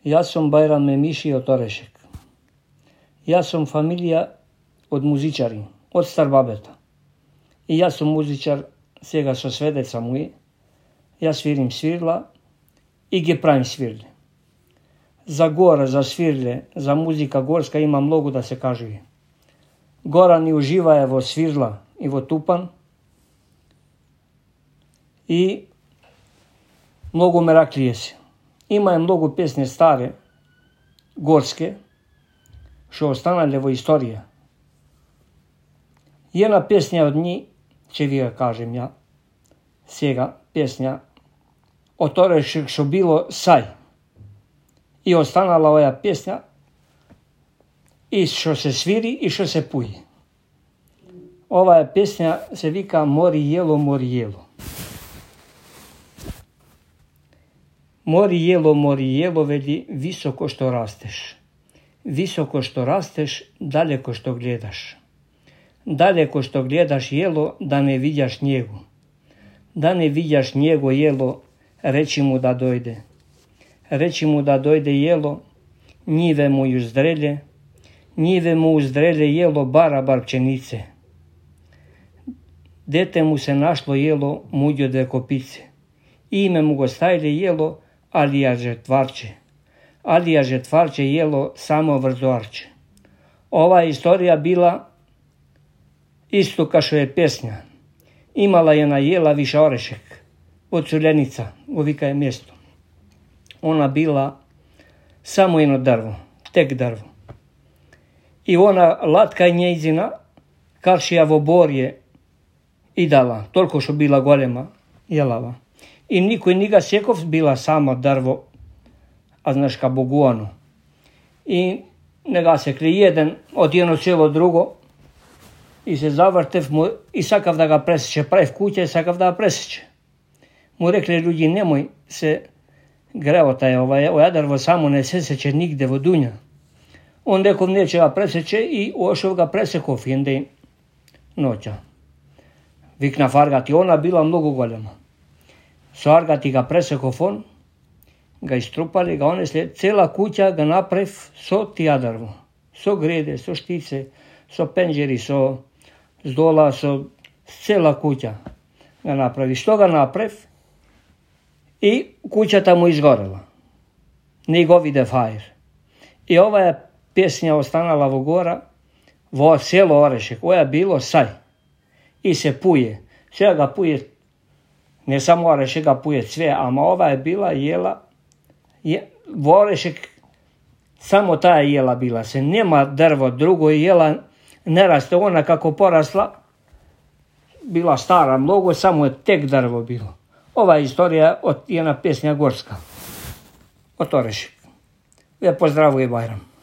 Ja sam Bajram Memiši od Orešek. Ja sam familija od muzičari, od starbabeta. I ja sam muzičar, svega sa svedeca moji. Ja svirim svirla i ge pravim svirle. Za gora, za svirle, za muzika gorska ima mnogo da se kaže. Goran i uživa evo svirla i vo tupan. I mnogo meraklije se. Ima je mnogo pesne stare, gorske, što ostanale vo istorija. Jedna pesnja od njih, će vi ga kažem ja, sjega pesnja, o tore što bilo saj. I ostanala ova pesnja, i što se sviri i što se puje. Ova pesnja se vika Mori jelo, mori jelo. Mori jelo, veli, visoko što rasteš. Visoko što rasteš, daleko što gledaš. Daleko što gledaš jelo, da ne vidjaš njegu. Da ne vidjaš njego jelo, reći mu da dojde. Reći mu da dojde jelo, njive mu uzdrelje. Njive mu uzdrelje jelo bar pčenice. Dete mu se našlo jelo, muđo dve kopice. Ime mu go stajle jelo, Alija Žetvarče. Alija Žetvarče jelo samo vrzoarče. Ova istorija bila isto kao što je pesnja. Imala je na jela Viša Orešek, od Culjenica, uvika je mjesto. Ona bila samo jedno drvo, tek drvo. I ona latka njezina, karšija v oborje i dala, toliko što bila golema, jelava. I niko niga sjekov bila samo drvo, a znaš ka boguano. I nega se kli jedan od jedno celo drugo i se zavrtev mu i sakav da ga preseče, pravi kuće i sakav da ga preseče. Mu rekli ljudi nemoj se grevota je ova drvo samo ne seseće nigde vo dunja. On rekao neće ga preseče i ošao ga presekov jende noća. Vikna fargati, ona bila mnogo golema. Sargati ga presekov on, ga istrupali, ga onesli, cela kuća ga naprav so tija drvo. So grede, so štice, so penđeri, so zdola, so cela kuća ga napravi. Što ga naprav? I kuća tamo izgorela. Nego vide fajr. I ova je pesnja ostanala vo gora, vo selo Orešek. Ovo je bilo saj. I se puje. Sve ga puje, ne samo Orešek ga puje sve, ama ova je bila jela, vo Orešek samo ta jela bila se. Nema drvo drugo jela, ne raste ona kako porasla, bila stara mnogo, samo je tek drvo bilo. Ova istorija od jedna pesnja gorska, od Orešek. Ja pozdravujem Bajram.